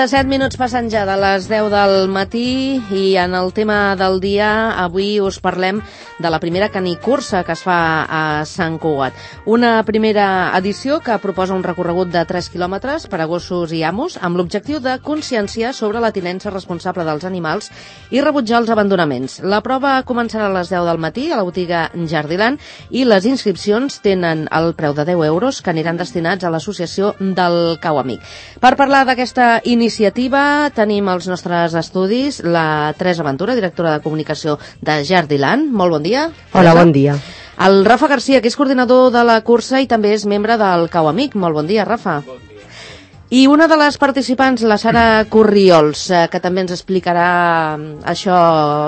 37 minuts passen ja de les 10 del matí i en el tema del dia avui us parlem de la primera canicursa que es fa a Sant Cugat. Una primera edició que proposa un recorregut de 3 quilòmetres per a gossos i amos amb l'objectiu de conscienciar sobre la tinença responsable dels animals i rebutjar els abandonaments. La prova començarà a les 10 del matí a la botiga Jardiland i les inscripcions tenen el preu de 10 euros que aniran destinats a l'associació del Cau Amic. Per parlar d'aquesta iniciativa tenim als nostres estudis la Teresa Ventura, directora de comunicació de Jardiland. Molt bon dia. Hola, bon dia. El Rafa Garcia, que és coordinador de la cursa i també és membre del Cau Amic. Molt bon dia, Rafa. Bon dia. I una de les participants, la Sara Corriols, que també ens explicarà això,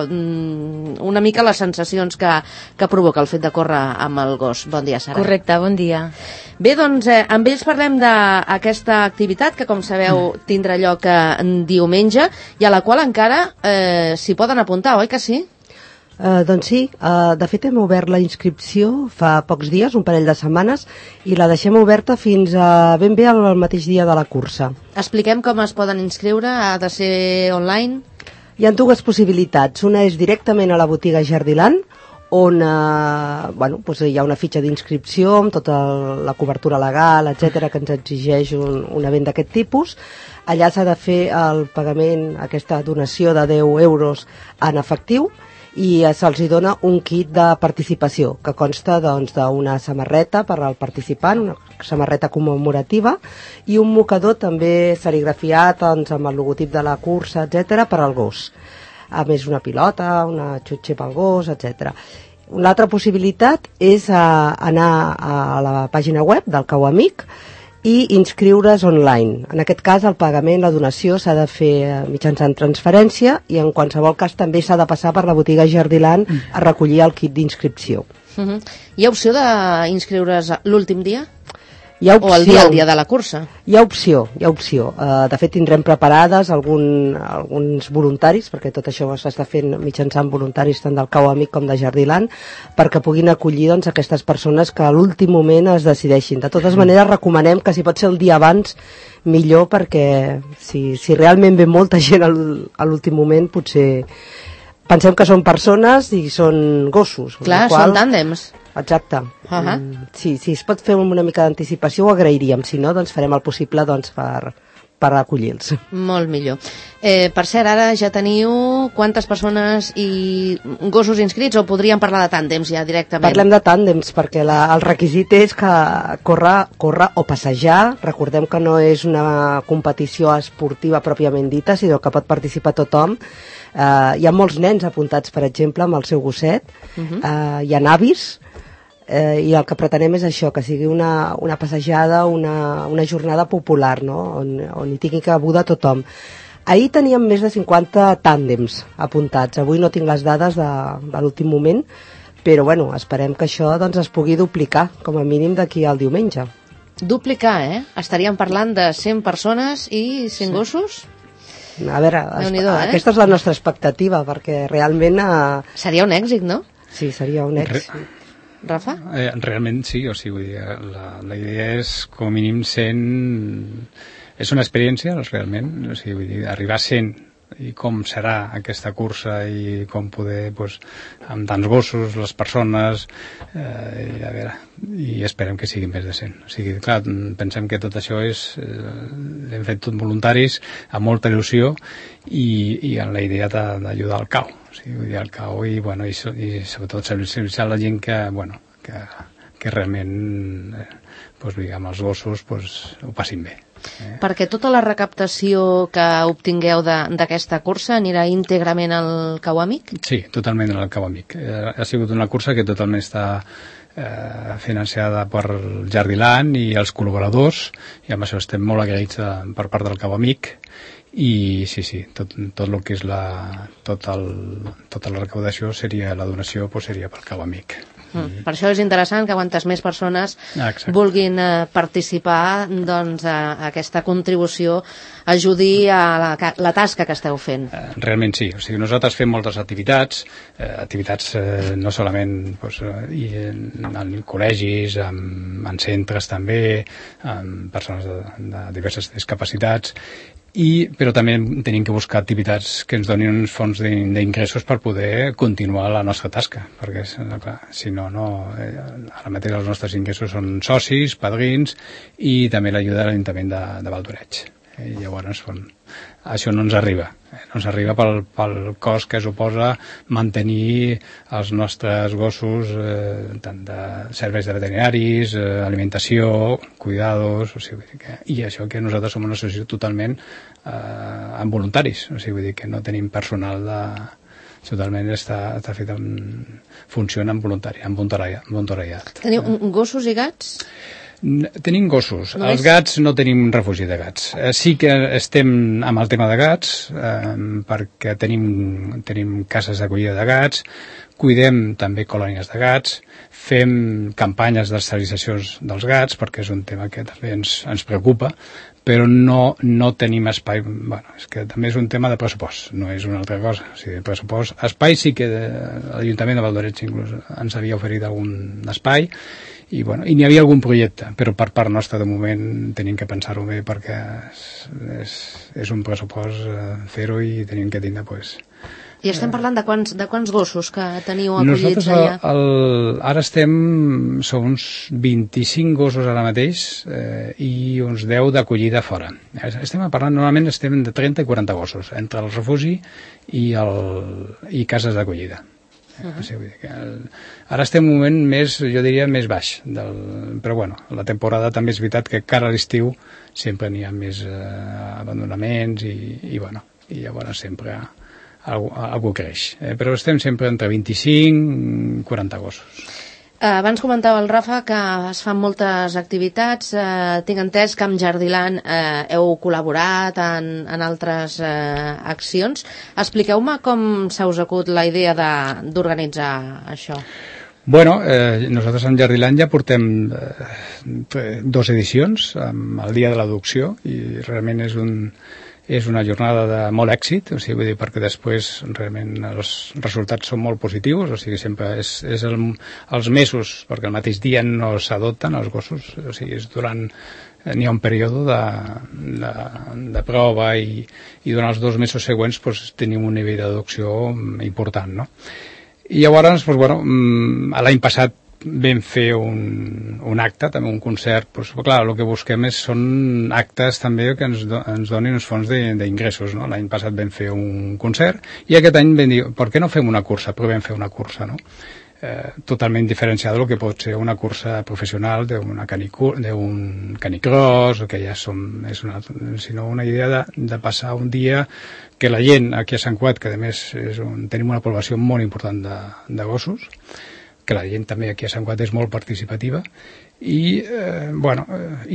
una mica les sensacions que provoca el fet de córrer amb el gos. Bon dia, Sara. Correcte, bon dia. Bé, doncs, amb ells parlem d'aquesta activitat que, com sabeu, tindrà lloc diumenge i a la qual encara s'hi poden apuntar, oi que sí? Doncs sí, de fet hem obert la inscripció fa pocs dies, un parell de setmanes, i la deixem oberta fins a ben bé el mateix dia de la cursa. Expliquem com es poden inscriure, ha de ser online? Hi ha dues possibilitats, una és directament a la botiga Jardiland, on doncs hi ha una fitxa d'inscripció amb tota la cobertura legal, etc que ens exigeix un event d'aquest tipus. Allà s'ha de fer el pagament, aquesta donació de 10 euros en efectiu, i se'ls dona un kit de participació que consta d'una samarreta per al participant, una samarreta commemorativa i un mocador també serigrafiat amb el logotip de la cursa, etc per al gos. A més una pilota, una xutxa pel gos, etc. Una altra possibilitat és anar a la pàgina web del Cau Amic i inscriure's online. En aquest cas, el pagament, la donació, s'ha de fer mitjançant transferència i en qualsevol cas també s'ha de passar per la botiga Jardiland a recollir el kit d'inscripció. Hi ha opció d'inscriure's l'últim dia? Hi ha opció. O el dia de la cursa? Hi ha opció. De fet, tindrem preparades alguns voluntaris, perquè tot això s'està fent mitjançant voluntaris tant del Cau Amic com de Jardiland, perquè puguin acollir aquestes persones que a l'últim moment es decideixin. De totes maneres, recomanem que si pot ser el dia abans, millor, perquè si realment ve molta gent a l'últim moment, potser pensem que són persones i són gossos. Clar, són tàndems. Exacte. Si es pot fer una mica d'anticipació ho agrairíem, si no, doncs farem el possible per acollir-los. Molt millor. Per cert, ara ja teniu quantes persones i gossos inscrits o podríem parlar de tàndems ja directament? Parlem de tàndems perquè el requisit és que córrer o passejar. Recordem que no és una competició esportiva pròpiament dita, sinó que pot participar tothom. Hi ha molts nens apuntats, per exemple, amb el seu gosset. Hi ha avis. I el que pretenem és això, que sigui una passejada, una jornada popular, no? on hi tingui cabuda tothom. Ahir teníem més de 50 tàndems apuntats, avui no tinc les dades de l'últim moment, però bueno, esperem que això es pugui duplicar, com a mínim d'aquí al diumenge. Duplicar, Estaríem parlant de 100 persones i 100 gossos? A veure, aquesta és la nostra expectativa, perquè realment... Seria un èxit, no? Sí, seria un èxit. Rafa? Realment sí, o sigui, la idea és com a mínim 100... És una experiència, realment, o sigui, vull dir, arribar a 100 i com serà aquesta cursa i com poder, amb tants gossos, les persones, i esperem que siguin més de 100. O sigui, clar, pensem que tot això hem fet tot voluntaris, amb molta il·lusió i amb la idea d'ajudar al Cau. O sigui, vull dir, al Cau i sobretot sensibilitzar la gent que realment amb els gossos ho passin bé. Perquè tota la recaptació que obtingueu d'aquesta cursa anirà íntegrament al Cau Amic? Sí, totalment al Cau Amic. Ha sigut una cursa que totalment està financiada per Jardiland i els col·laboradors, i amb això estem molt agraïts per part del Cau Amic. I sí, tot el que és tota la recaudació la donació seria pel Cau Amic. Per això és interessant que quantes més persones vulguin participar, doncs aquesta contribució ajudi a la tasca que esteu fent. Realment sí, o sigui, nosaltres fem moltes activitats no solament en col·legis, en centres també, amb persones de diverses discapacitats, però també tenim que buscar activitats que ens donin uns fons d'ingressos per poder continuar la nostra tasca, perquè clar, si no, ara mateix els nostres ingressos són socis, padrins i també l'ajuda de l'Ajuntament de Valdoreig. I llavors això no ens arriba. No ens arriba pel cost que suposa mantenir els nostres gossos, tant de serveis de veterinaris, alimentació, cuidados, i això que nosaltres som una associació totalment amb voluntaris, vull dir que no tenim personal totalment està fet funciona amb voluntariat. Teniu gossos i gats? Tenim gossos. Els gats no tenim refugi de gats. Sí que estem amb el tema de gats, perquè tenim cases d'acollida de gats, cuidem també colònies de gats, fem campanyes d'esterilitzacions dels gats, perquè és un tema que també ens preocupa, però no tenim espai. Bueno, és que també és un tema de pressupost, no és una altra cosa. O sigui, pressupost, espai sí que l'Ajuntament de Valdoreig inclús ens havia oferit algun espai, i n'hi havia algun projecte, però per part nostra de moment tenim que pensar-ho bé perquè és un pressupost fer-ho i tenim que tindre I estem parlant de quants gossos que teniu acollits allà? Nosaltres ara som uns 25 gossos ara mateix i uns 10 d'acollida fora. Normalment estem de 30 i 40 gossos entre el refugi i cases d'acollida. Ara estem en un moment jo diria més baix, però bueno, la temporada també és veritat que cara a l'estiu sempre n'hi ha més abandonaments i llavors sempre algú creix, però estem sempre entre 25 i 40 gossos. Abans comentava el Rafa que es fan moltes activitats, tinc entès que amb Jardiland heu col·laborat en altres accions. Expliqueu-me com s'ha us acut la idea d'organitzar això. Bueno, nosaltres amb Jardiland ja portem 2 edicions, amb el Dia de l'Adopció, i realment és una jornada de molt èxit, vull dir, perquè després realment els resultats són molt positius, sempre és els mesos, perquè el mateix dia no s'adopten els gossos, n'hi ha un període de prova i durant els 2 mesos següents tenim un nivell d'adopció important, no? I llavors, l'any passat vam fer un acte, també un concert, clar, el que busquem són actes també que ens donin uns fons d'ingressos, no? L'any passat vam fer un concert i aquest any vam dir, per què no fem una cursa? Però vam fer una cursa, no? Totalment diferenciada del que pot ser una cursa professional d'un canicross, que ja sinó una idea de passar un dia que la gent aquí a Sant Cugat, que a més tenim una població molt important de gossos, que la gent també aquí a Sant Cugat és molt participativa i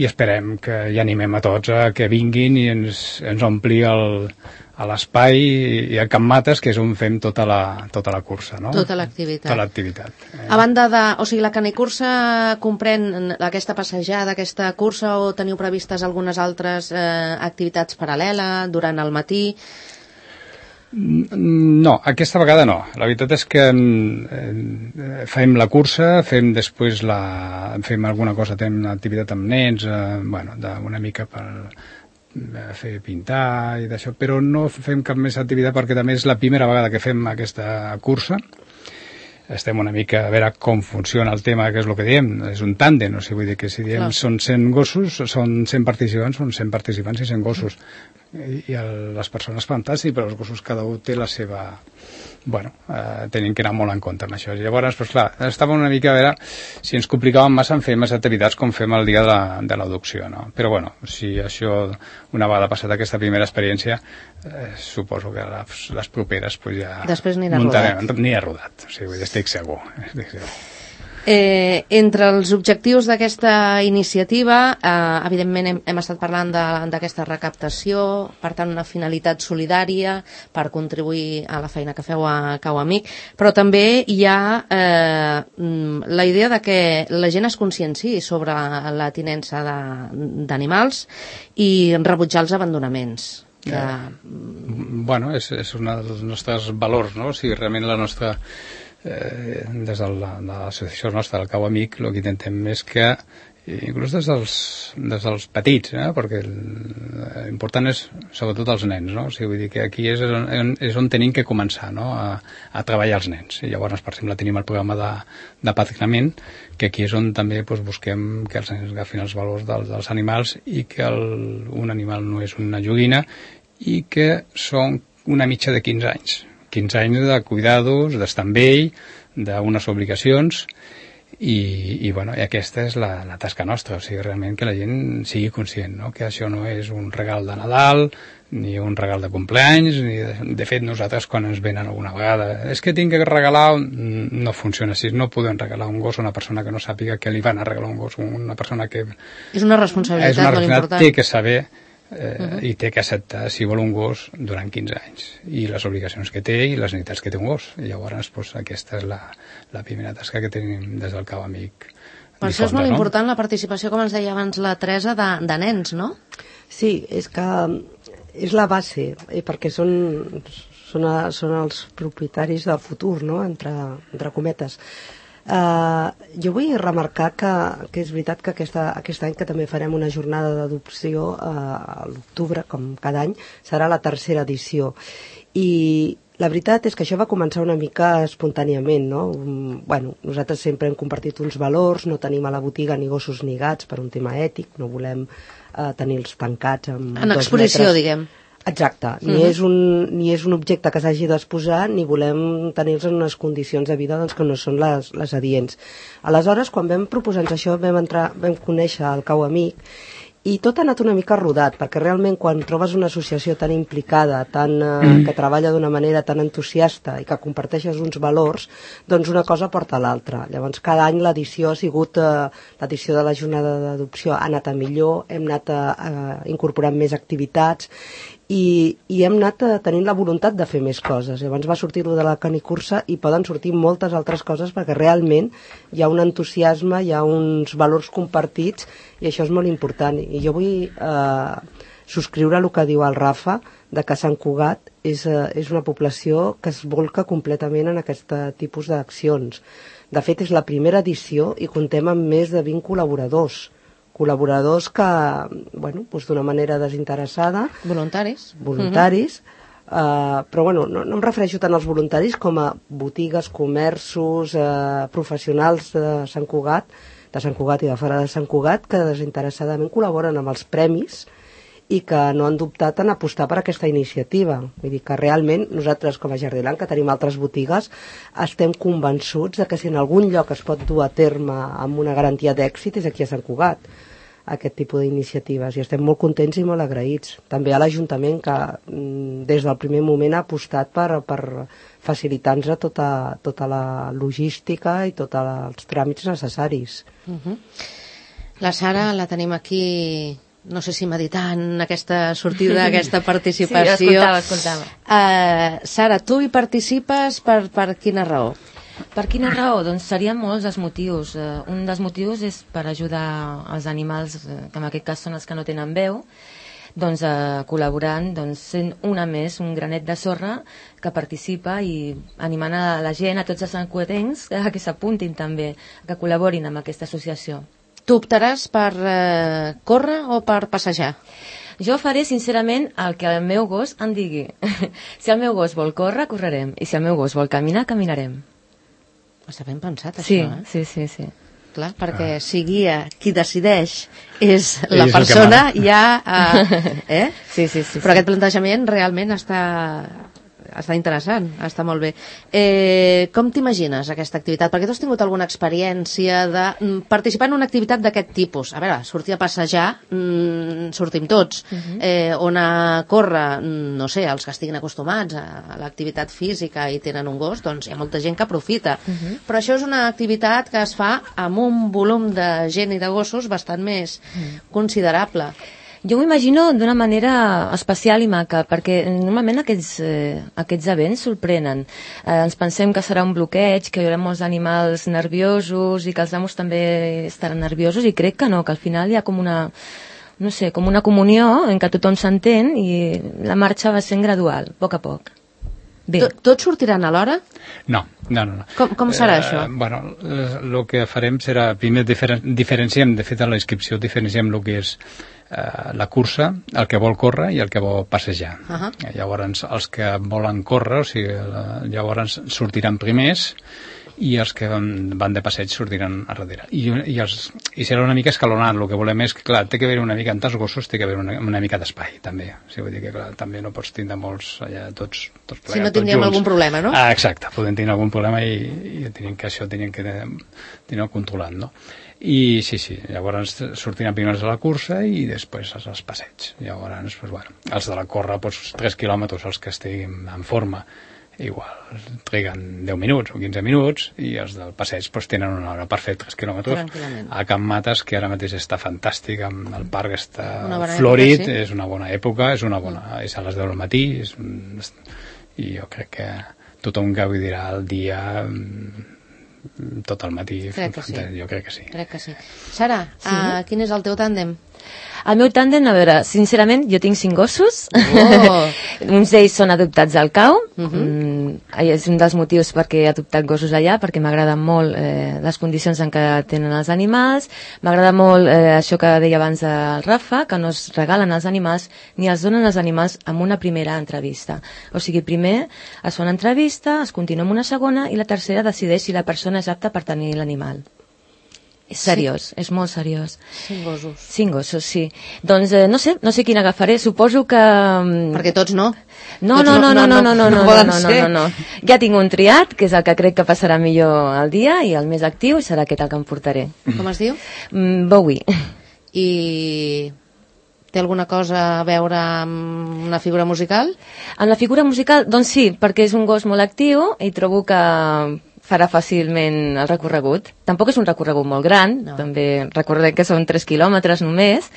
esperem que hi animem a tots a que vinguin i ens ompli l'espai i el Camp Mates, que és on fem tota la cursa, no? Tota l'activitat. Tota l'activitat. A banda la canicursa comprèn aquesta passejada, aquesta cursa, o teniu previstes algunes altres activitats paral·leles durant el matí? No, aquesta vegada no. La veritat és que fem la cursa, fem després fem alguna cosa, tenim una activitat amb nens, una mica per fer pintar i d'això, però no fem cap més activitat perquè també és la primera vegada que fem aquesta cursa. Estem una mica a veure com funciona el tema, que és el que diem, és un tàndem, vull dir que si diem són 100 gossos, són 100 participants, són 100 participants i 100 gossos. I les persones fantàstiques, però els gossos cada un té la seva... tenim que anar molt en compte amb això. Llavors, clar, estàvem una mica a veure si ens complicàvem massa en fer més activitats com fem el dia de l'adopció, no? Però si això, una vegada passat aquesta primera experiència, suposo que les properes ja... Després anirà rodat. Anirà rodat, estic segur. Entre els objectius d'aquesta iniciativa, evidentment hem estat parlant d'aquesta recaptació, per tant una finalitat solidària per contribuir a la feina que feu a Cau Amic, però també hi ha la idea de que la gent es conscienciï sobre la tinença d'animals i rebutjar els abandonaments. És un dels nostres valors, no? Realment la nostra... des de l'associació nostra del Cau Amic el que intentem és que inclús des dels petits, perquè l'important és sobretot els nens, no? O sigui, vull dir que aquí és on tenim que començar, no? a treballar els nens. I llavors, per exemple, tenim el programa de padrinament, que aquí és on també busquem que els nens agafin els valors dels animals i que un animal no és una joguina i que són una mitja de 15 anys. 15 anys de cuidados, d'estar amb ell, d'unes obligacions, i aquesta és la tasca nostra, o sigui, realment que la gent sigui conscient, no? Que això no és un regal de Nadal ni un regal de compleanys, de fet nosaltres quan ens venen alguna vegada és que tinc que regalar, no funciona així, no podem regalar un gos a una persona que no sàpiga que li van a regalar un gos, una persona que és una responsabilitat molt important, té que saber i té que acceptar si vol un gos durant 15 anys i les obligacions que té i les necessitats que té un gos. I llavors aquesta és la primera tasca que tenim des del Cau Amic. Per això és molt important la participació, com ens deia abans la Teresa, de nens, no? Sí, és que és la base, perquè són els propietaris del futur, no? entre cometes. Jo vull remarcar que és veritat que aquest any que també farem una jornada d'adopció a l'octubre, com cada any, serà la tercera edició. I la veritat és que això va començar una mica espontàniament, no? Nosaltres sempre hem compartit uns valors, no tenim a la botiga ni gossos ni gats per un tema ètic, no volem tenir-los tancats amb 2 metres. En exposició, diguem. Exacte, ni és un objecte que s'hagi d'exposar ni volem tenir-los en unes condicions de vida que no són les adients. Aleshores, quan vam proposar-nos això, vam conèixer el Cau Amic i tot ha anat una mica rodat, perquè realment quan trobes una associació tan implicada, que treballa d'una manera tan entusiasta i que comparteixes uns valors, doncs una cosa porta a l'altra. Llavors cada any l'edició ha sigut, l'edició de la jornada d'adopció ha anat a millor, hem anat incorporant més activitats i hem anat tenint la voluntat de fer més coses. Llavors va sortir-ho de la canicursa i poden sortir moltes altres coses perquè realment hi ha un entusiasme, hi ha uns valors compartits i això és molt important. I jo vull subscriure el que diu el Rafa, de que Sant Cugat és una població que es volca completament en aquest tipus d'accions. De fet, és la primera edició i comptem amb més de 20 col·laboradors que, d'una manera desinteressada... Voluntaris. Però no em refereixo tant als voluntaris com a botigues, comerços, professionals de Sant Cugat i de fora de Sant Cugat, que desinteressadament col·laboren amb els premis i que no han dubtat en apostar per aquesta iniciativa. Vull dir que realment nosaltres, com a Jardiland, que tenim altres botigues, estem convençuts de que si en algun lloc es pot dur a terme amb una garantia d'èxit és aquí a Sant Cugat, aquest tipus d'iniciatives, i estem molt contents i molt agraïts. També a l'Ajuntament, que des del primer moment ha apostat per facilitar-nos tota la logística i tots els tràmits necessaris. La Sara la tenim aquí, no sé si meditant aquesta sortida, aquesta participació. Sí, escoltava. Sara, tu hi participes per quina raó? Per quina raó? Doncs serien molts els motius. Un dels motius és per ajudar els animals, que en aquest cas són els que no tenen veu, doncs col·laborant, sent una més, un granet de sorra que participa i animant a la gent, a tots els santcugatencs, que s'apuntin també, que col·laborin amb aquesta associació. Tu optaràs per córrer o per passejar? Jo faré, sincerament, el que el meu gos em digui. Si el meu gos vol córrer, correrem. I si el meu gos vol caminar, caminarem. Està ben pensat, això, Sí. Clar, perquè si guia qui decideix és la persona, ja... Sí. Però aquest plantejament realment està interessant, està molt bé. Com t'imagines aquesta activitat? Perquè tu has tingut alguna experiència de participar en una activitat d'aquest tipus. A veure, sortir a passejar, sortim tots. On a córrer, no sé, els que estiguin acostumats a l'activitat física i tenen un gos, doncs hi ha molta gent que aprofita. Però això és una activitat que es fa amb un volum de gent i de gossos bastant més considerable. Jo m'ho imagino d'una manera especial i maca, perquè normalment aquests events sorprenen. Ens pensem que serà un bloqueig, que hi haurà molts animals nerviosos i que els amos també estaran nerviosos, i crec que no, que al final hi ha com una comunió en què tothom s'entén i la marxa va sent gradual, a poc a poc. Bé. Tots sortiran a l'hora? No. Com serà això? Bueno, el que farem serà, primer diferenciem, de fet a la inscripció diferenciem el que és la cursa, el que vol córrer i el que vol passejar. Llavors, els que volen córrer, o sigui, llavors sortiran primers, i els que van de passeig sortiran a darrere. I serà una mica escalonat. El que volem és que, clar, té que haver una mica, en tants gossos, té que haver una mica d'espai, també. O sigui, vull dir que, clar, també no pots tindre molts allà, tots plegats, si no tindríem algun problema, no? Exacte, podem tenir algun problema i això tenim que tenir-ho controlat, no? I sí, llavors sortiran primers a la cursa i després als passeigs. Llavors, doncs, bueno, els de la corra, doncs, 3 quilòmetres, els que estiguin en forma, igual triguen 10 minuts o 15 minuts, i els del passeig doncs, tenen una hora per fer 3 quilòmetres a Can Mates, que ara mateix està fantàstic, amb el parc està florit, època, sí. És una bona època, és a les 10 del matí, i jo crec que tothom gaudirà el dia tot el matí. Jo crec que sí. Sara, quin és el teu tàndem? El meu tàndem, a veure, sincerament, jo tinc 5 gossos. Uns d'ells són adoptats al CAU. És un dels motius perquè he adoptat gossos allà, perquè m'agraden molt les condicions en què tenen els animals. M'agrada molt això que deia abans el Rafa, que no es regalen els animals ni els donen els animals en una primera entrevista. O sigui, primer es fa una entrevista, es continua amb una segona i la tercera decideix si la persona és apta per tenir l'animal. És seriós, és molt seriós. 5 gossos. 5 gossos, sí. Doncs no sé quin agafaré, suposo que... Perquè tots no. No. Ja tinc un triat, que és el que crec que passarà millor el dia, i el més actiu, i serà aquest el que em portaré. Com es diu? Bowie. I té alguna cosa a veure amb una figura musical? Amb la figura musical, doncs sí, perquè és un gos molt actiu i trobo que farà fàcilment el recorregut. Tampoc és un recorregut molt gran, també recordem que són 3 quilòmetres només,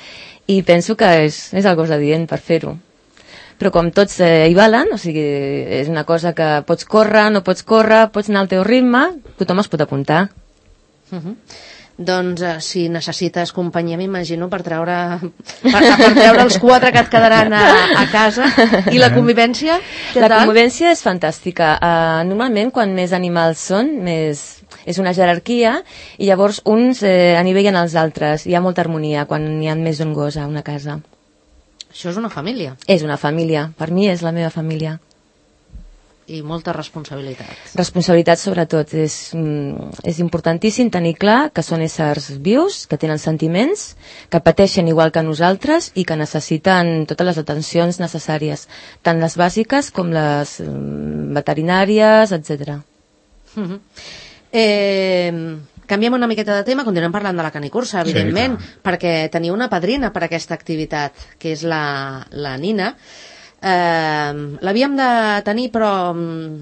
i penso que és el gos adient per fer-ho. Però com tots hi valen, o sigui, és una cosa que pots córrer, no pots córrer, pots anar al teu ritme, tothom es pot apuntar. Doncs si necessites companyia, m'imagino, per treure els 4 que et quedaran a casa. I la convivència? La convivència és fantàstica. Normalment, quan més animals són, és una jerarquia, i llavors uns anivellen els altres. Hi ha molta harmonia quan hi ha més d'un gos a una casa. Això és una família. És una família. Per mi és la meva família. I molta responsabilitat. Responsabilitat, sobretot. És importantíssim tenir clar que són éssers vius, que tenen sentiments, que pateixen igual que nosaltres i que necessiten totes les atencions necessàries, tant les bàsiques com les veterinàries, etc. Canviem una miqueta de tema, continuem parlant de la canicursa, evidentment, perquè teniu una padrina per a aquesta activitat, que és la Nina. L'havíem de tenir, però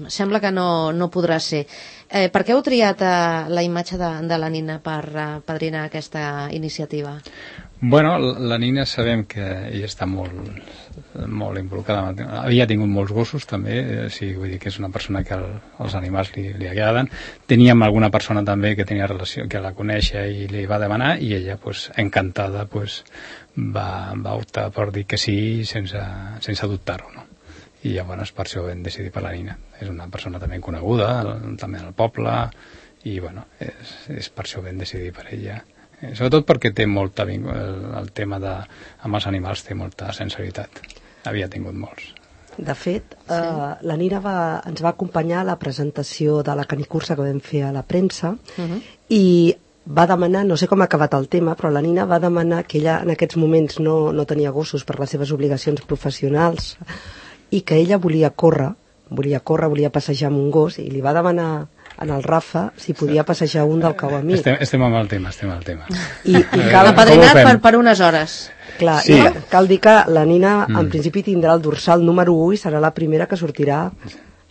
sembla que no podrà ser. Per què heu triat la imatge de la Nina per padrinar aquesta iniciativa? Bueno, la Nina sabem que ella està molt involucrada. Havia tingut molts gossos també, vull dir que és una persona que els animals li agraden. Teníem alguna persona també que tenia relació, que la coneixia i li va demanar, i ella, encantada, va optar per dir que sí sense dubtar-ho, no? I llavors per això vam decidir per la Nina. És una persona també coneguda, també al poble, i bueno, és per això vam decidir per ella. Sobretot perquè té molta el tema amb els animals té molta sensibilitat. Havia tingut molts. De fet, la Nina ens va acompanyar a la presentació de la canicursa que vam fer a la premsa, i va demanar, no sé com ha acabat el tema, però la Nina va demanar que ella en aquests moments no tenia gossos per les seves obligacions professionals, i que ella volia córrer, volia passejar amb un gos, i li va demanar en el Rafa si podia passejar un del cau a mi. Estem amb el tema. I cal apadrinat per unes hores. Clar, sí. Cal dir que la Nina en principi tindrà el dorsal número 1 i serà la primera que sortirà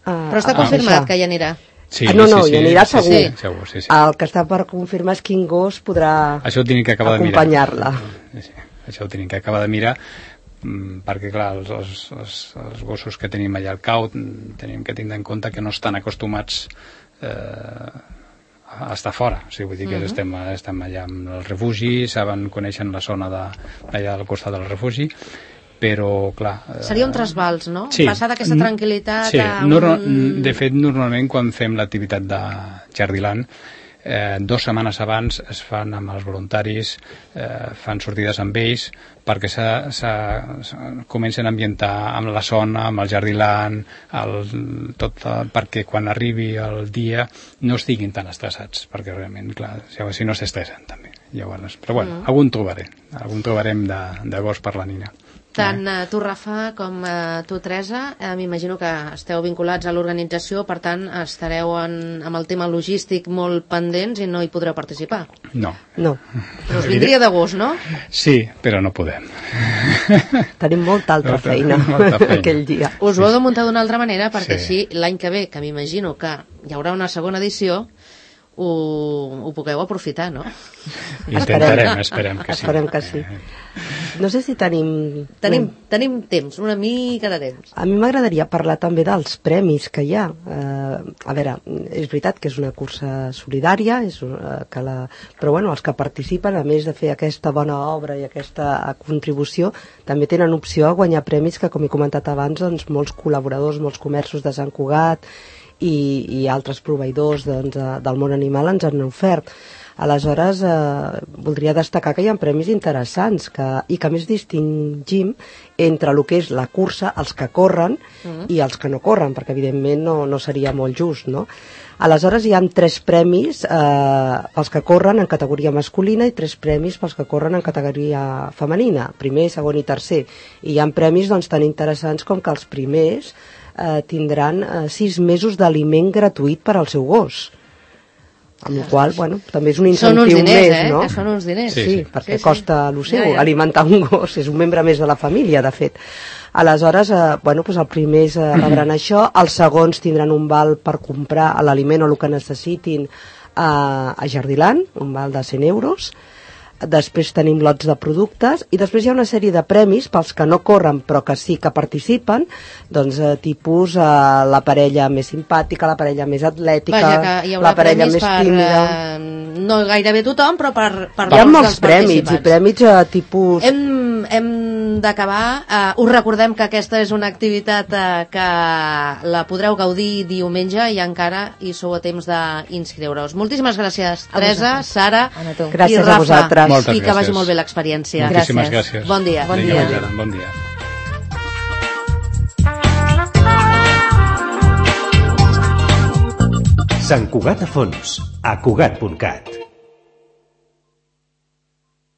Però està confirmat que hi anirà. Sí, hi anirà segur. Sí. El que està per confirmar és quin gos podrà acompanyar-la. Això ho tenim que acabar de mirar, perquè clar, els gossos que tenim allà al cau tenim que tindre en compte que no estan acostumats a estar fora, vull dir que estem allà amb el refugi, coneixen la zona allà al costat del refugi, però, clar... Seria un trasbals, no? Sí. Passar d'aquesta tranquil·litat sí. a De fet, normalment, quan fem l'activitat de Jardiland, 2 setmanes abans es fan amb els voluntaris, fan sortides amb ells perquè comencen a ambientar amb la zona, amb el Jardiland, perquè quan arribi el dia no estiguin tan estressats, perquè realment, clar, si no s'estressen també. Llavors, però bueno, algun trobarem de gos per la nina. Tant tu, Rafa, com tu, Teresa, m'imagino que esteu vinculats a l'organització, per tant, estareu amb el tema logístic molt pendents i no hi podreu participar. No. Però us vindria de gust, no? Sí, però no podem. Tenim molta altra feina aquell dia. Us ho heu de muntar d'una altra manera, perquè així l'any que ve, que m'imagino que hi haurà una segona edició, ho pugueu aprofitar, no? Esperem que sí. Esperem que sí. No sé si tenim temps, una mica de temps. A mi m'agradaria parlar també dels premis que hi ha. A veure, és veritat que és una cursa solidària, però bueno, els que participen, a més de fer aquesta bona obra i aquesta contribució, també tenen opció a guanyar premis que, com he comentat abans, doncs, molts col·laboradors, molts comerços de Sant Cugat i altres proveïdors del món animal ens han ofert. Aleshores, voldria destacar que hi ha premis interessants i que més distingim entre el que és la cursa, els que corren i els que no corren, perquè evidentment no seria molt just, no? Aleshores hi ha 3 premis pels que corren en categoria masculina i 3 premis pels que corren en categoria femenina, primer, segon i tercer. I hi ha premis tan interessants com que els primers tindran 6 mesos d'aliment gratuït per al seu gos. Amb la qual cosa, també és un incentiu més, no? Són uns diners. Sí, perquè costa el seu alimentar un gos, és un membre més de la família, de fet. Aleshores, els primers rebran això, els segons tindran un val per comprar l'aliment o el que necessitin a Jardiland, un val de 100 euros. Després tenim lots de productes i després hi ha una sèrie de premis pels que no corren però que sí que participen, tipus la parella més simpàtica, la parella més atlètica, la parella més tímida. No gairebé tothom, però per hi ha molts premis i premis tipus... Hem d'acabar. Us recordem que aquesta és una activitat que la podreu gaudir diumenge i encara hi sou a temps d'inscriure-us. Moltíssimes gràcies, Teresa, Sara i gràcies Rafa. A vosaltres. I que vagi molt bé l'experiència. Moltíssimes gràcies. Bon dia. Bon dia. Sant Cugat a fons, a Cugat.cat.